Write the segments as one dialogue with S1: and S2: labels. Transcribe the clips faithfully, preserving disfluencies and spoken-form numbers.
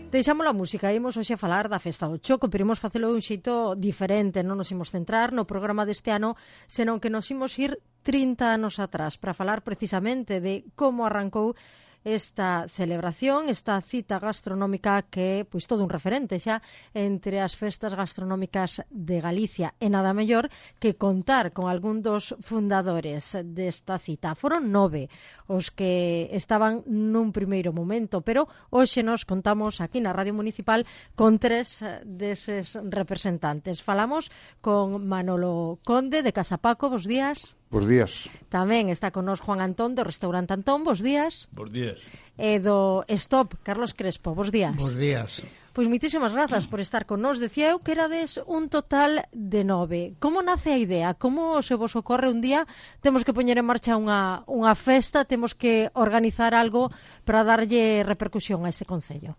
S1: Deixamos a música, imos hoxe a falar da Festa do Choco, pero imos facelo de un xeito diferente, non nos imos centrar no programa deste ano, senón que nos imos ir trinta anos atrás para falar precisamente de como arrancou esta celebración, esta cita gastronómica que é pois todo un referente xa entre as festas gastronómicas de Galicia, e nada mellor que contar con algún dos fundadores desta cita. Foron nove os que estaban nun primeiro momento, pero hoxe nos contamos aquí na Radio Municipal con tres deses representantes. Falamos con Manolo Conde de Casa Paco, bos días.
S2: Bos días.
S1: Tamén está con nos Juan Antón do Restaurante Antón, bos días.
S3: Bos días.
S1: E do Stop, Carlos Crespo, bos días.
S4: Bos días.
S1: Pois moitísimas grazas por estar con nos. Decía eu que erades un total de nove. Como nace a idea? Como se vos ocorre un día? Temos que poñer en marcha unha, unha festa, temos que organizar algo para darlle repercusión a este concello.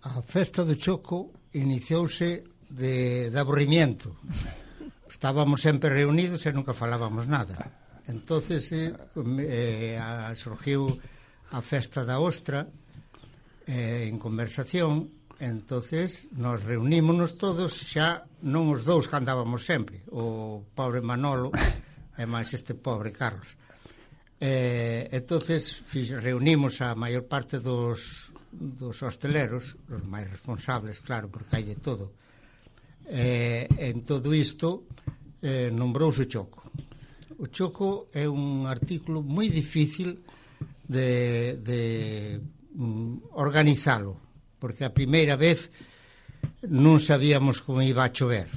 S4: A Festa do Choco iniciouse de, de aburrimiento. Estábamos sempre reunidos e nunca falábamos nada. Entonces eh, eh, surgiu a Festa da Ostra eh, en conversación. Entonces nos reunímonos todos, xa non os dous que andábamos sempre, o pobre Manolo e máis este pobre Carlos. Eh, entonces reunimos a maior parte dos, dos hosteleros, os máis responsables, claro, porque hai de todo. Eh, en todo isto eh, nombrouse o Choco. O Choco é un artículo moi difícil de, de um, organizalo, porque a primeira vez non sabíamos como iba a chover,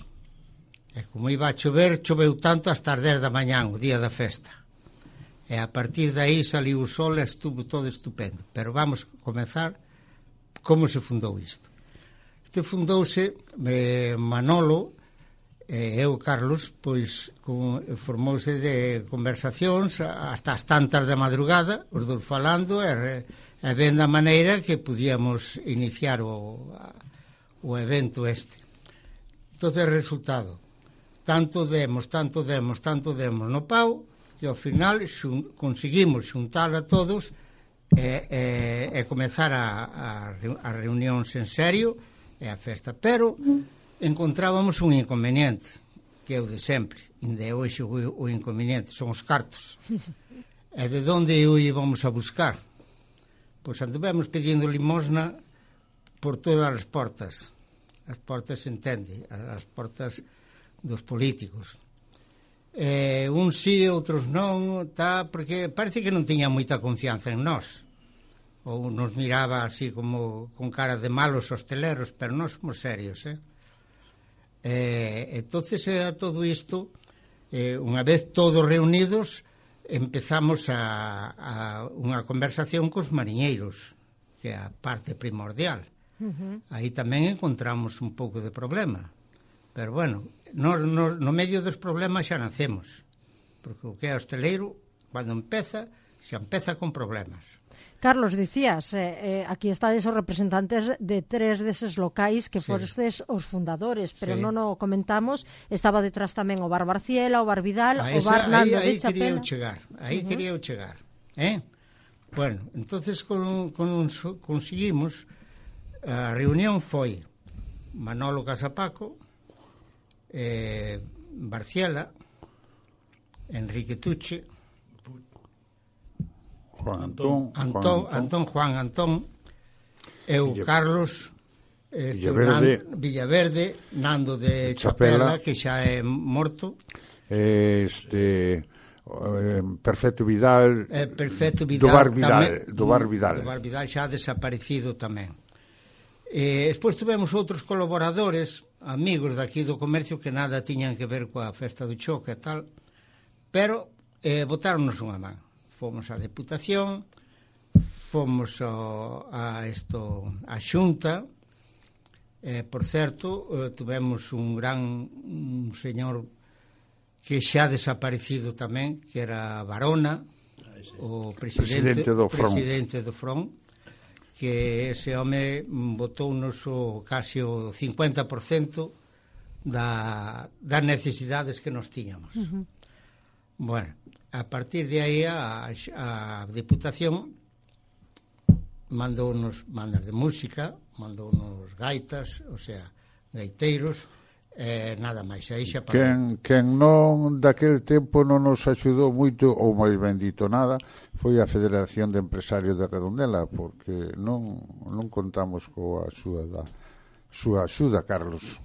S4: e como iba a chover, choveu tanto hasta as dez da mañán, o día da festa, e a partir de aí saliu o sol e estuvo todo estupendo. Pero vamos a comenzar como se fundou isto. Este fundouse eh, Manolo e eu, Carlos, pois con, formouse de conversacións hasta as tantas da madrugada, os dous falando e, e vendo a maneira que podíamos iniciar o, o evento este. Entonces, resultado, tanto demos, tanto demos, tanto demos no pau, que ao final xun, conseguimos xuntar a todos e, e, e comezar a, a, a reunións en serio e a festa. Pero encontrábamos un inconveniente, que é o de sempre, ainda é hoxe o, o inconveniente, son os cartos. E de onde o íbamos a buscar? Pois anduvemos pedindo limosna por todas as portas. As portas, se entende, as portas dos políticos. Eh, uns sí, outros non, tá, porque parece que non tiña moita confianza en nós. Ou nos miraba así como con cara de malos hosteleros, pero nós somos serios, eh? Eh, entonces a todo isto, eh, unha vez todos reunidos, empezamos a, a unha conversación cos mariñeiros, que é a parte primordial. Uh-huh. Aí tamén encontramos un pouco de problema, pero bueno, no, no, no medio dos problemas xa nacemos, porque o que é hosteleiro, cando empeza, xa empeza con problemas.
S1: Carlos, dicías, eh, eh, aquí estades os representantes de tres deses locais que sí. Fostes os fundadores, pero sí. Non o comentamos, estaba detrás tamén o Bar Barciela, o Bar Vidal, esa, o Bar Nando
S4: aí, aí
S1: de Chapela.
S4: Quería eu chegar, aí uh-huh. quería eu chegar, eh? Bueno, entonces con, con, conseguimos, a reunión foi Manolo Casapaco, eh, Barciela, Enrique Tuche,
S2: Juan Antón,
S4: Antón, Juan Antón, Juan Antón, eu, Villa, Carlos, eh,
S2: Villaverde,
S4: Nan, Villaverde, Nando de Chapela, Chapela, que xa é morto.
S2: Este, eh, Perfecto Vidal,
S4: eh, Perfecto Vidal,
S2: do Bar Vidal,
S4: tamén,
S2: do Bar Vidal.
S4: Do Bar Vidal xa desaparecido tamén. Eh, despois tivemos outros colaboradores, amigos daqui do comercio que nada tiñan que ver coa Festa do Choco e tal, pero eh, botáronos unha man. Fomos á Deputación, fomos ao, a, esto, a Xunta, eh, por certo, eh, tivemos un gran un señor que xa desaparecido tamén, que era Barona, o presidente,
S2: presidente do Front,
S4: presidente do Front, que ese home botounos o casi o cincuenta por cento da, das necesidades que nos tiñamos. Uh-huh. Bueno, a partir de aí a, a Deputación mandounos bandas de música, mandounos gaitas, o sea, gaiteiros, eh, nada máis, aí xa parou.
S2: Quen, quen non daquel tempo non nos axudou moito, ou máis ben dito nada, foi a Federación de Empresarios de Redondela, porque non, non contamos coa axuda da súa axuda, Carlos.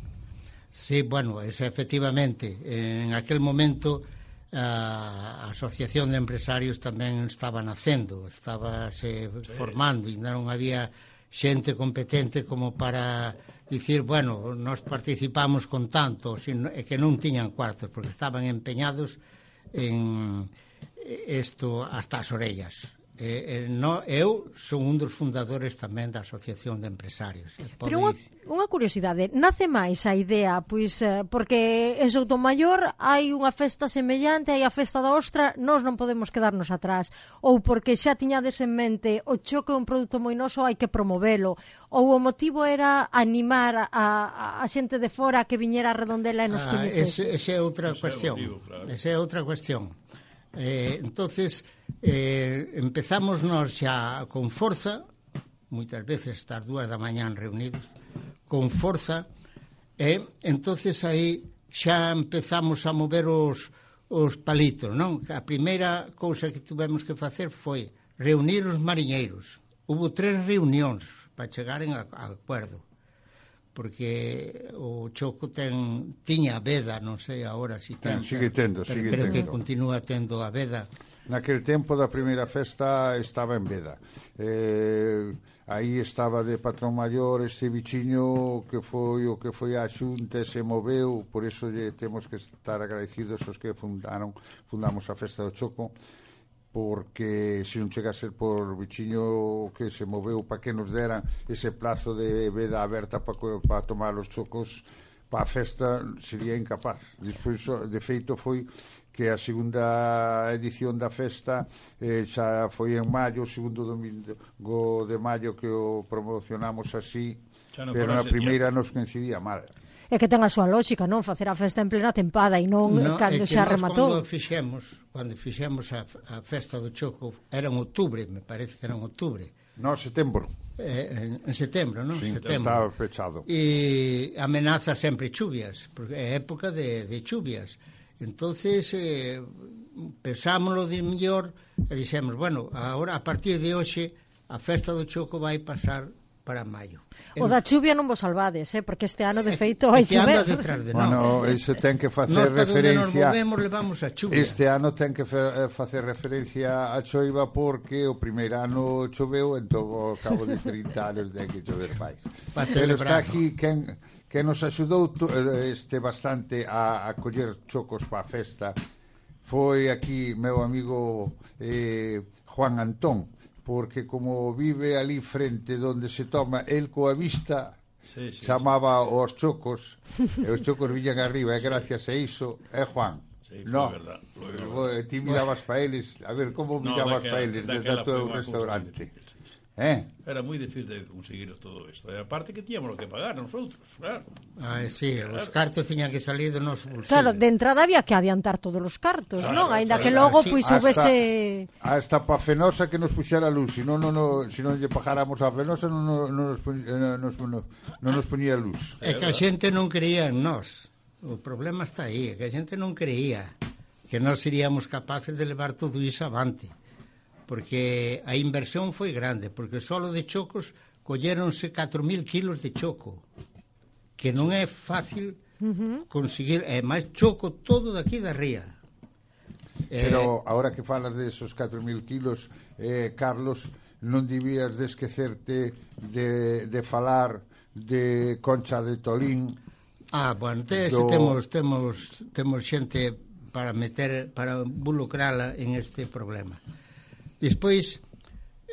S4: Sí, bueno, es, efectivamente, en aquel momento a Asociación de Empresarios tamén estaba nacendo, estaba se sí. formando, e non había xente competente como para dicir, bueno, nós participamos con tanto, sino, é que non tiñan cuartos, porque estaban empeñados en isto hasta as orellas. Eh, eh, no, eu son un dos fundadores tamén da Asociación de Empresarios.
S1: Pero unha, unha curiosidade, nace máis a idea, pois eh, porque en Soutomaior hai unha festa semellante, hai a festa da ostra, nós non podemos quedarnos atrás, ou porque xa tiñades en mente o choco é un produto moi noso, hai que promovelo, ou o motivo era animar a, a, a xente de fora que viñera a Redondela e nos
S4: ah,
S1: coñecese.
S4: Esa é outra cuestión. Esa é outra cuestión. Eh, entonces eh, empezamos nós xa con forza, moitas veces estas dúas da mañán reunidos con forza, e eh, entonces aí xa empezamos a mover os, os palitos, non? A primeira cousa que tivemos que facer foi reunir os mariñeiros. Hubo tres reunións para chegaren a, a acuerdo, porque o choco ten tiña veda, non sei agora si ten,
S2: ten sigue tendo,
S4: pero
S2: sigue
S4: creo
S2: tendo.
S4: que continúa tendo a veda.
S2: Naquel tempo da primeira festa estaba en veda. Eh, aí estaba de patrón maior este bichiño que foi o que foi a xunta e se moveu, por iso lle temos que estar agradecidos os que fundaron, fundamos a festa do choco, porque se non chega a ser por bichiño que se moveu para que nos deran ese plazo de veda aberta para, para tomar os chocos para a festa, sería incapaz. Despois, de feito, foi que a segunda edición da festa eh, xa foi en maio, o segundo domingo de maio que o promocionamos así, pero na primeira nos coincidía mal.
S1: É que ten a súa lógica, non? Facer a festa en plena tempada e non
S4: no,
S1: cando xa rematou.
S4: Cando fixemos, cando fixemos a, a festa do choco, era en outubro, me parece que era en outubro.
S2: No, setembro.
S4: Eh, en, en setembro, non?
S2: Sí,
S4: setembro.
S2: estaba pechado.
S4: E amenaza sempre chuvias, porque é época de, de chuvias. Entonces, eh, pensámoslo de mellor e dixemos, bueno, agora a partir de hoxe a festa do choco vai pasar para maio.
S1: O da chuvia non vos salvades, eh? Porque este ano de feito hai
S4: que anda
S1: chover.
S4: detrás de
S2: bueno, ese ten que facer
S4: nós,
S2: referencia.
S4: Nos movemos levamos a chuvia.
S2: Este ano ten que facer referencia a choiva porque o primeiro ano choveu, entón ao cabo de trinta anos ten que chover máis. Pero está aquí quen que nos axudou este bastante a, a coller chocos para a festa. Foi aquí meu amigo eh, Juan Antón, porque como vive ali frente donde se toma el coa vista, sí, sí, chamaba sí. Os chocos, e os chocos viñan arriba, e gracias a iso, é Juan.
S3: Sí,
S2: no,
S3: verdad, verdad.
S2: Ti mirabas para eles, a ver, como mirabas no, para eles desde o teu restaurante? Eh?
S3: Era moi difícil de conseguir todo isto. E aparte que tíamos que pagar nosotros, claro.
S4: Ah, sí, claro. Os cartos tiñan que salir do noso bolsillo.
S1: Claro, de entrada había que adiantar todos os cartos, claro, non? Aínda que logo pois sí, houvese
S2: hasta pa Fenosa que nos puxera luz, se non non se non lle pagáramos a Fenosa non non nos nos non nos poñía luz.
S4: É que a xente non creía en nós. O problema está aí, é que a xente non creía que nós seríamos capaces de levar todo iso avante. Porque a inversión foi grande, porque solo de chocos colléronse catro mil kilos de choco, que non é fácil uh-huh. conseguir, é máis choco todo daqui da ría.
S2: Pero eh, ahora que falas de esos catro mil kilos, eh, Carlos, non debías de esquecerte de, de falar de Concha de Tolín.
S4: Ah, bueno, te, do... temos, temos, temos xente para meter, para involucrala en este problema. Despois,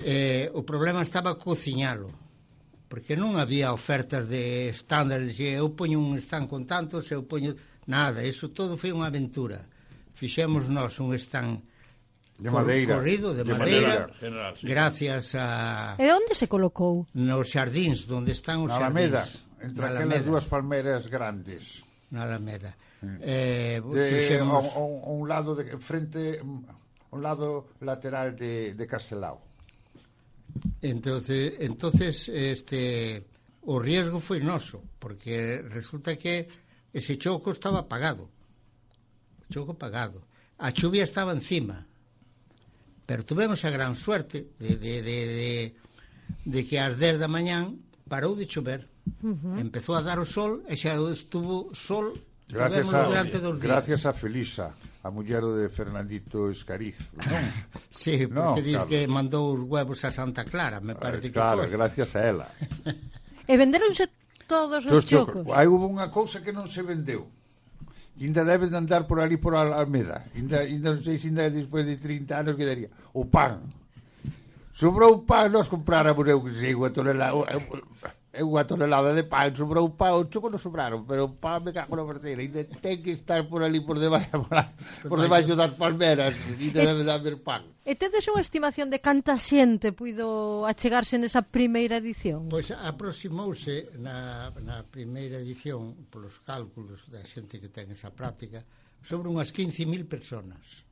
S4: eh, o problema estaba cociñalo, porque non había ofertas de estándares, eu poño un stand con tantos, eu poño nada, eso todo foi unha aventura. Fixemos nós un stand
S2: de madeira,
S4: corrido de, de madeira, madeira general, sí. Gracias a...
S1: E onde se colocou?
S4: Nos xardíns, onde están os
S2: na
S4: xardíns.
S2: Alameda, entre na aquelas Alameda. Dúas palmeras grandes.
S4: Na Alameda. Mm. Eh,
S2: de, fixemos... a, a un lado de frente... un lado lateral de, de Castelao.
S4: entonces, entonces este, o riesgo foi noso, porque resulta que ese choco estaba apagado. O choco apagado. A chuvia estaba encima. Pero tuvemos a gran suerte de, de, de, de, de que ás dez da mañán parou de chover. Uh-huh. Empezou a dar o sol e xa estuvo sol
S2: gracias a,
S4: durante dos días.
S2: Gracias a Felisa, a muller de Fernandito Escariz, non?
S4: Sí, porque
S2: no,
S4: diz
S2: claro.
S4: que mandou os huevos a Santa Clara, me parece que
S2: claro,
S4: foi.
S2: gracias a ela.
S1: E venderonse todos os chocos.
S2: Hai hubo unha cousa que non se vendeu. Ainda deben de andar por ali por Almeda. Ainda, ainda non sei se ainda despois de trinta anos quedaría. O pan. Sobrou pan, nós compráramos eu que sei, unha tonelada, unha tonelada de pan, sobrou pan, o choco non sobraron, pero o pan me cago na verteira. Ainda ten que estar por ali por debaixo, por, por debaixo das palmeras, ainda debe de haber pan.
S1: E tedes unha estimación de canta xente puido achegarse nesa primeira edición?
S4: Pois aproximouse na, na primeira edición, polos cálculos da xente que ten esa práctica, sobre unhas quince mil personas.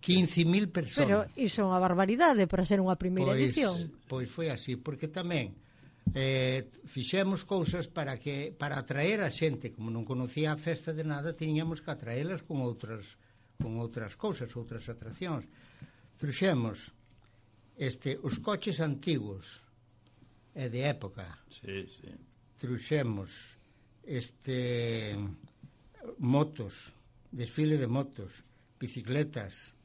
S4: quince mil personas.
S1: Pero iso é unha barbaridade para ser unha primeira
S4: pois,
S1: edición.
S4: Pois foi así, porque tamén eh, fixemos cousas para que para atraer a xente, como non conocía a festa de nada, tiñamos que atraelas con outras con outras cousas, outras atraccións. Truxemos este, os coches antigos e de época.
S3: Sí, sí.
S4: Truxemos este motos, desfile de motos, bicicletas,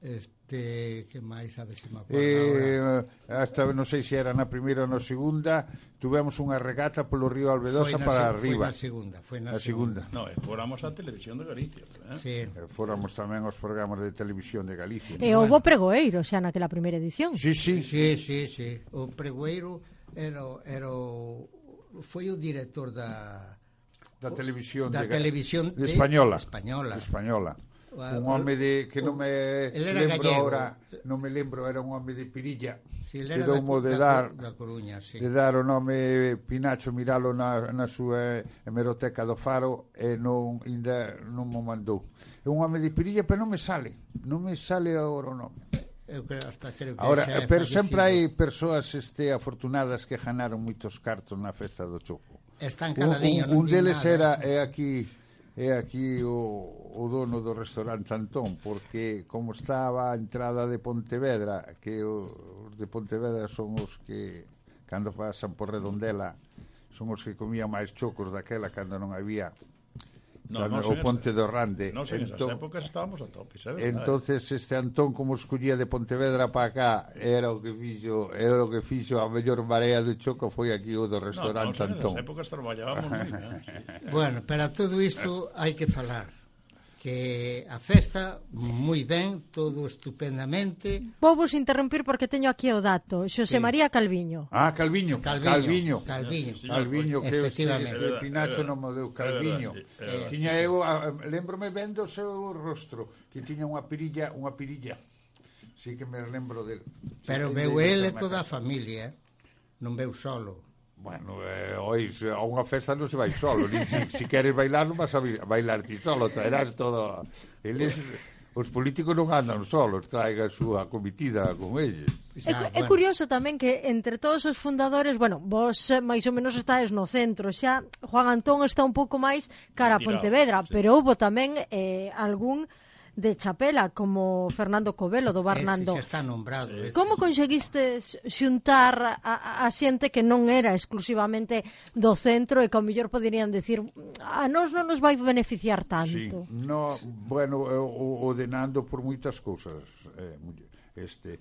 S4: este, que máis, a ver se me acordo
S2: eh,
S4: agora.
S2: Hasta non sei se era na primeira ou na segunda, tuvemos unha regata polo río Albedosa para
S4: se,
S2: arriba.
S4: Foi na segunda, foi na
S2: a segunda.
S4: segunda.
S3: No, e fóramos a Televisión de Galicia, eh?
S4: Sí.
S2: E fóramos tamén aos programas de televisión de Galicia.
S1: E houbo pregoeiro xa naquela primeira edición.
S2: Sí, sí.
S4: Sí, sí, sí. O pregoeiro era, era o, foi o director da
S2: da televisión
S4: da
S2: de,
S4: televisión
S2: de
S4: de
S2: española.
S4: española.
S2: española.
S4: Uh,
S2: Un home de que non me
S4: el era
S2: lembro
S4: gallego.
S2: ahora, non me lembro, era un home de Pirilla.
S4: Sí,
S2: que
S4: era da,
S2: doumo de
S4: da,
S2: dar
S4: da Coruña, sí.
S2: de dar o nome Pinacho, miralo na, na súa hemeroteca do Faro e non ainda non mo mandou. É un home de Pirilla, pero non me sale, non me sale agora o nome.
S4: Eu que hasta creo que
S2: Ahora,
S4: xa é
S2: pero sempre hai
S4: fallecido.
S2: persoas este afortunadas que ganaron moitos cartos na festa do Choco.
S4: Están
S2: Un,
S4: caladiños,
S2: un, un
S4: non din
S2: deles
S4: nada.
S2: era é aquí é aquí o, o dono do restaurante Antón, porque como estaba a entrada de Pontevedra, que os de Pontevedra son os que cando pasan por Redondela son os que comían máis chocos daquela cando non había
S3: No,
S2: cando,
S3: no,
S2: o Ponte do Rande.
S3: Non, en esas
S2: Entón,
S3: épocas estábamos a tope, sabes?
S2: entonces este Antón como escollía de Pontevedra para acá era o que fixo era o que fixo a mellor marea do choco foi aquí o do restaurante
S3: no, no,
S2: Antón.
S3: En esas épocas traballábamos moi ben, sí.
S4: Bueno, pero a todo isto hai que falar que a festa moi ben, todo estupendamente.
S1: Vou vos interrumpir porque teño aquí o dato. Xosé
S4: Sí.
S1: María Calviño.
S2: Ah, Calviño,
S4: Calviño,
S2: Calviño.
S4: Calviño.
S3: Sí,
S2: Calviño, que
S4: Efectivamente.
S2: ese, ese Pinacho non me deu Calviño.
S3: É verdade, é verdade.
S2: Tiña eu, a- lembrome ben do seu rostro, que tiña unha pirilla, unha pirilla. Sí que me lembro del.
S4: Pero
S2: Sí,
S4: veu
S2: de-
S4: ele
S2: de-
S4: toda a familia, eh? Non veu solo.
S2: Bueno, eh, oi, se a unha festa non se vai solo, ni si, si queres bailar non vas a bi- bailar ti solo, traerás todo. Eles, os políticos non andan solos, traiga a súa comitida con eles.
S1: É,
S4: Xa,
S1: é
S4: bueno,
S1: curioso tamén que entre todos os fundadores, bueno, vos eh, máis ou menos estáis no centro, xa Juan Antón está un pouco máis cara a
S3: Retirado,
S1: Pontevedra,
S3: sí.
S1: pero houbo tamén eh, algún de Chapela, como Fernando Covelo do Barnando.
S4: ese xa está nombrado. ese.
S1: Como conseguistes xuntar a, a xente que non era exclusivamente do centro e que ao mellor poderían decir a nós non nos vai beneficiar
S2: Sí,
S1: tanto?
S2: no, bueno, eh, o, o de Nando por moitas cousas, eh, mulle- este,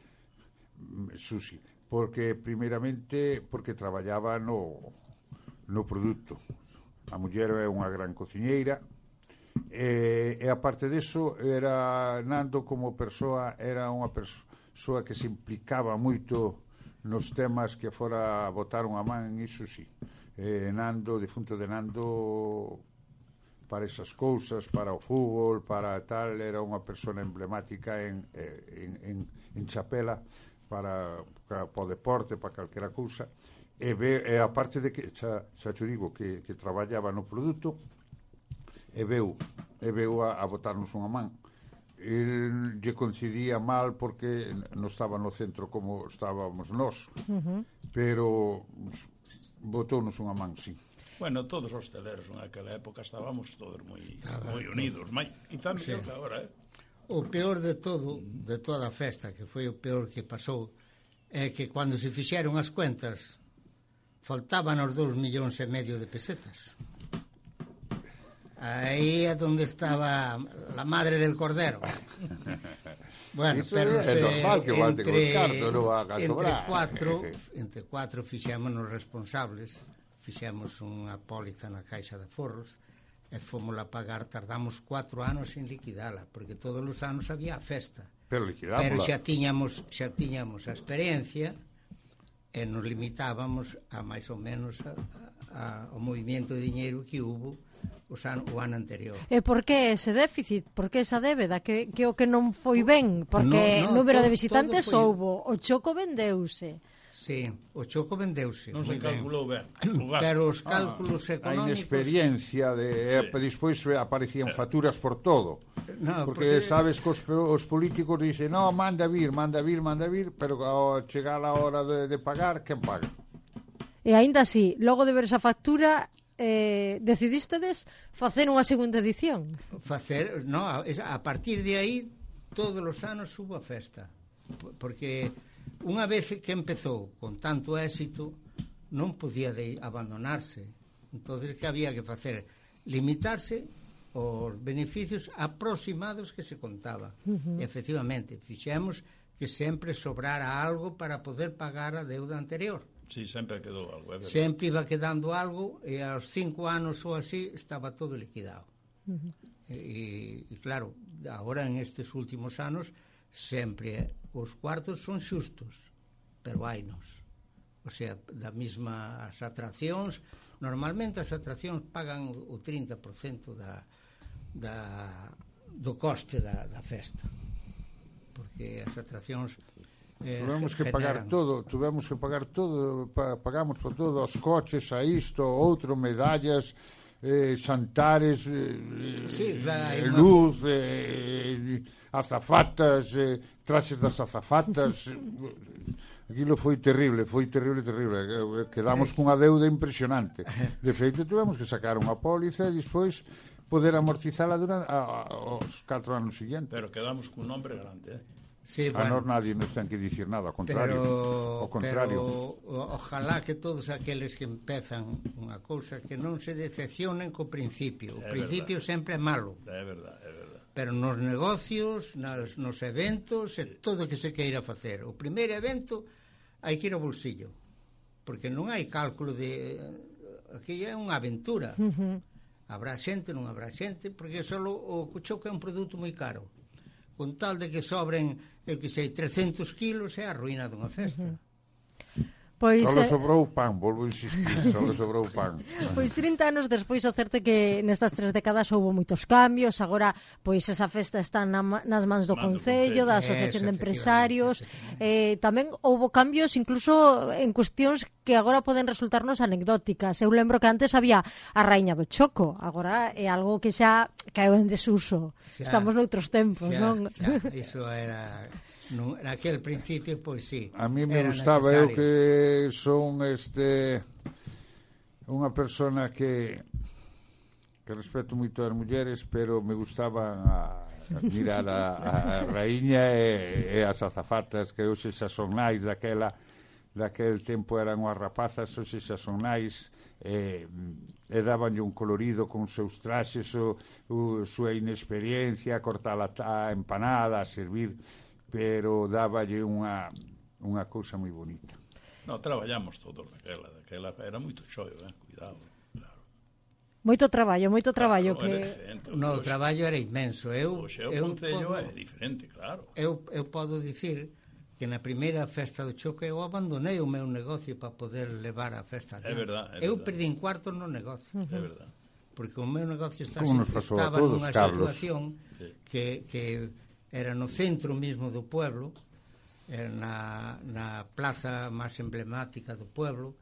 S2: mm, Susi, porque primeiramente porque traballaba no, no produto. A muller é unha gran cociñeira, e, e aparte deso era Nando como persoa era unha persoa que se implicaba moito nos temas que fora a botar unha man, iso sí. Eh, Nando, defunto de Nando, para esas cousas, para o fútbol, para tal, era unha persona emblemática en, en, en, en Chapela para, para, para o deporte, para calquera cousa, e, ve, e aparte de que xa, xa te digo que, que traballaba no produto, e veu, e veu a, a botarnos unha man. El, lle coincidía mal porque non estaba no centro como estábamos nós, uh-huh. pero botou-nos unha man, sí.
S3: Bueno, todos os hosteleros naquela época estábamos todos moi moi unidos, máis, quizá mellor que agora, eh?
S4: O peor de todo, de toda a festa, que foi o peor que pasou, é que cando se fixeron as cuentas faltaban os dous millóns e medio de pesetas. Aí é onde estaba la madre del cordero. Bueno,
S2: eso
S4: pero
S2: é se, normal que entre,
S4: entre,
S2: carto, non va a
S4: entre cuatro entre cuatro fixémonos responsables, fixemos unha póliza na Caixa de Aforros e fomos a pagar, tardamos cuatro anos en liquidala, porque todos os anos había a festa.
S2: Pero liquidámola.
S4: Pero xa tiñamos, xa tiñamos a experiencia e nos limitábamos a máis ou menos a, a, ao movimento de diñeiro que hubo os ano, o ano anterior.
S1: E por que ese déficit? Por que esa débeda? Que, que o que non foi ben? Porque
S4: no, no,
S1: número
S4: todo,
S1: de visitantes
S4: foi...
S1: houbo, o choco vendeuse.
S4: Sí, o choco vendeuse.
S3: Non se calculou ben.
S4: Pero os cálculos ah, económicos...
S2: A inexperiencia de... Sí. Despois aparecían facturas por todo.
S4: No,
S2: porque,
S4: porque
S2: sabes que os, os políticos dicen no, manda vir, manda vir, manda vir, pero ao chegar a hora de, de pagar, quen paga?
S1: E aínda así, logo de ver esa factura... Eh, decidístedes facer unha segunda edición?
S4: Facer, no, a, a partir de aí todos os anos hubo a festa, porque unha vez que empezou con tanto éxito non podía de abandonarse. Entonces que había que facer? Limitarse os beneficios aproximados que se contaba. Uh-huh. E, efectivamente, fixemos que sempre sobrara algo para poder pagar a deuda anterior.
S3: Sí, sempre quedou algo, é verdade.
S4: Sempre iba quedando algo e aos cinco anos ou así estaba todo liquidado. Uh-huh. E, e claro, agora en estes últimos anos sempre os cuartos son xustos, pero hainos. O sea, da mesma as atraccións, normalmente as atraccións pagan o trinta por cento da, da, do coste da, da festa. Porque as atraccións Eh,
S2: tuvemos que pagar todo, tuvemos que pagar todo, pa, pagamos por todo, os coches, a isto, outro, medallas, eh, xantares, eh,
S4: sí, claro,
S2: eh, luz, eh, azafatas, eh, traxes das azafatas. Aquilo foi terrible, foi terrible, terrible. Quedamos cunha deuda impresionante. De feito, tuvemos que sacar unha póliza e despois poder amortizala durante a, a, os catro anos seguintes.
S3: Pero quedamos cun nombre grande, eh?
S4: Sí,
S2: a
S4: bueno,
S2: nós nadie nos ten que dicir nada, ao contrario,
S4: pero,
S2: ao contrario.
S4: Pero ojalá que todos aqueles que empezan unha cousa que non se decepcionen co principio. O
S3: é
S4: principio
S3: verdad.
S4: sempre é malo.
S3: É verdade, é verdade.
S4: Pero nos negocios, nas, nos eventos, sí. E todo o que se queira facer. O primeiro evento hai que ir ao bolsillo, porque non hai cálculo de... Aquí é unha aventura. Uh-huh. Habrá xente, non habrá xente, porque só o choco é un produto moi caro. Con tal de que sobren, eu que sei, trescentos kilos, é a ruína dunha festa. Uh-huh.
S1: Pois,
S2: solo sobrou pan, volvo a insistir, solo sobrou pan.
S1: Pois trinta anos despois, o certo é que nestas tres décadas houve moitos cambios. Agora, pois esa festa está na, nas mans do Concello, da Asociación de Empresarios. Eh, tamén houve cambios incluso en cuestións que agora poden resultarnos anecdóticas. Eu lembro que antes había a Raíña do Choco, agora é algo que xa caeu en desuso. Xa, estamos noutros tempos,
S4: xa,
S1: non?
S4: Xa, iso era... No, naquele principio, pois sí.
S2: A mí me gustaba, necesario. Eu que son este unha persona que que respeto moito as mulleres, pero me gustaba a, a mirar a, a raíña e, e as azafatas que hoxe xa son nais daquela daquel tempo eran unhas rapazas, hoxe xa son nais e, e dabanlle un colorido con seus traxes, o, o súa inexperiencia, a cortar a, a empanada, a servir, pero dáballe unha unha cousa moi bonita.
S3: No, traballamos todos daquela, daquela era moito xoio, eh? Cuidado, claro.
S1: Moito traballo, moito traballo
S3: claro,
S1: que
S4: no, o traballo era inmenso. Eu
S3: o seu
S4: eu
S3: concello
S4: podo,
S3: é diferente, claro.
S4: Eu eu podo dicir que na primeira festa do Choco eu abandonei o meu negocio para poder levar a festa adiante.
S3: É verdade, é
S4: eu
S3: verdad.
S4: Perdín cuartos no negocio.
S3: Uh-huh. É verdade.
S4: Porque o meu negocio está
S2: estaba
S4: estaba nunha situación
S3: sí.
S4: que que era no centro mismo do pueblo, era na, na plaza máis emblemática do pueblo.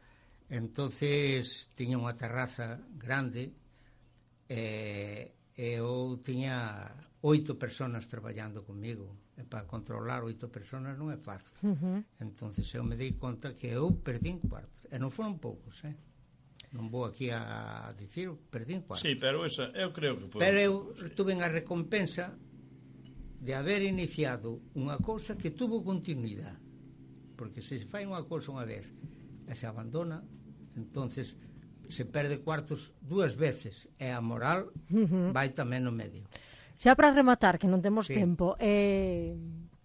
S4: Entonces tiña unha terraza grande e, e eu tiña oito personas traballando comigo, e para controlar oito personas non é fácil. Uh-huh. Entonces eu me dei conta que eu perdín cuartos, e non foron poucos, eh? Non vou aquí a dicir, perdín cuartos.
S3: Sí, pero esa, eu creo que foi...
S4: Pero eu tuve a recompensa de haber iniciado unha cousa que tuvo continuidade, porque se fai unha cousa unha vez e se abandona, entonces se perde cuartos dúas veces e a moral uh-huh. vai tamén no medio.
S1: Xa para rematar, que non temos sí. tempo, eh,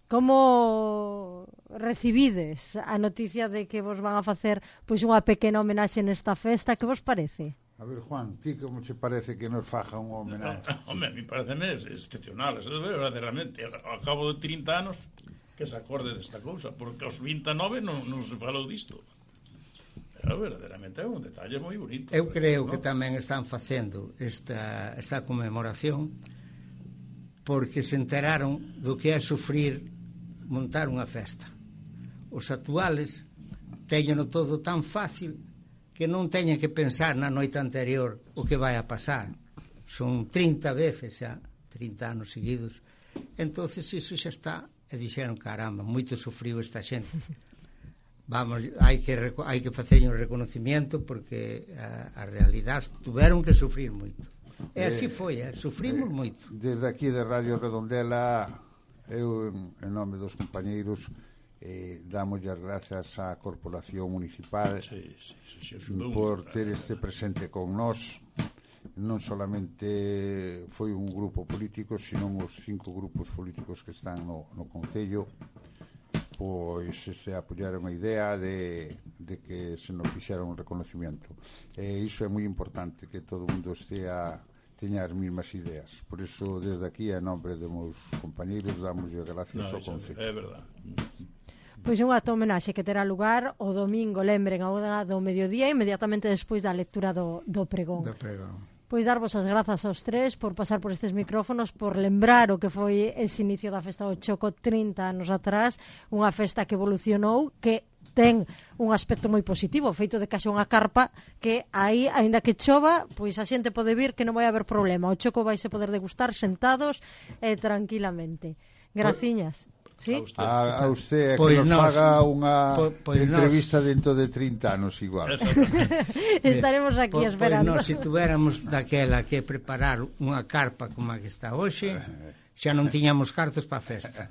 S1: como recibides a noticia de que vos van a facer pois unha pequena homenaxe nesta festa? Que vos parece?
S2: A ver, Juan, ti como che parece que nos faja unha homenaxe?
S3: No, home, a mí parece excepcional, es verdadeiramente, ao cabo de trinta anos que se acorde desta cousa, porque aos vinte e nove non, non se falou disto. Pero verdadeiramente é un detalle moi bonito.
S4: Eu creo que tamén están facendo esta, esta conmemoración porque se enteraron do que é sufrir montar unha festa. Os actuales teñeno todo tan fácil que non teñen que pensar na noite anterior o que vai a pasar. Son trinta veces xa, trinta anos seguidos. Entonces iso xa está, e dixeron, caramba, moito sufriu esta xente. Vamos, hai que hai que facer un reconocimiento porque a, a realidade tuveron que sufrir moito. E así foi, eh? Sufrimos eh, moito.
S2: Desde aquí de Radio Redondela, eu en nome dos compañeiros eh, damos as grazas á Corporación Municipal sí, sí, sí, sí, por ter este presente con nós. Non solamente foi un grupo político, senón os cinco grupos políticos que están no, no Concello, pois se apoyaron a idea de, de que se nos fixera un reconocimiento. E iso é moi importante, que todo o mundo estea, teña as mesmas ideas. Por iso, desde aquí, a nombre de meus compañeiros, damos as gracias
S3: no,
S2: ao Concello.
S3: É verdade.
S1: Pois un acto homenaxe que terá lugar o domingo, lembren, a hora do mediodía, inmediatamente despois da lectura do, do pregón.
S4: Do pregón.
S1: Pois darvos as grazas aos tres por pasar por estes micrófonos, por lembrar o que foi ese inicio da festa do Choco trinta anos atrás, unha festa que evolucionou, que ten un aspecto moi positivo, o feito de que haxa unha carpa que aí, aínda que chova, pois a xente pode vir que non vai haber problema. O Choco vai se poder degustar sentados e tranquilamente. Graciñas. ¿Sí?
S2: A, a usted pois que nos, nos faga unha po, pois entrevista nos, dentro de trinta anos igual.
S1: Estaremos aquí po, esperando.
S4: Pois nos, se tuéramos daquela que preparar unha carpa como a que está hoxe, xa non tiñamos cartos para a festa.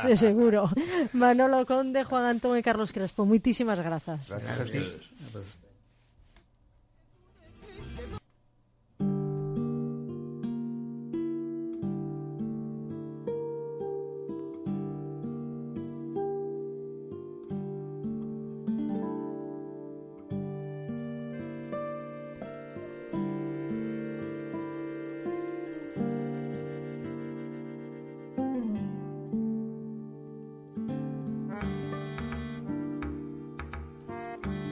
S1: De seguro. Manolo Conde, Juan Antón e Carlos Crespo, moitísimas grazas.
S2: Gracias a ti.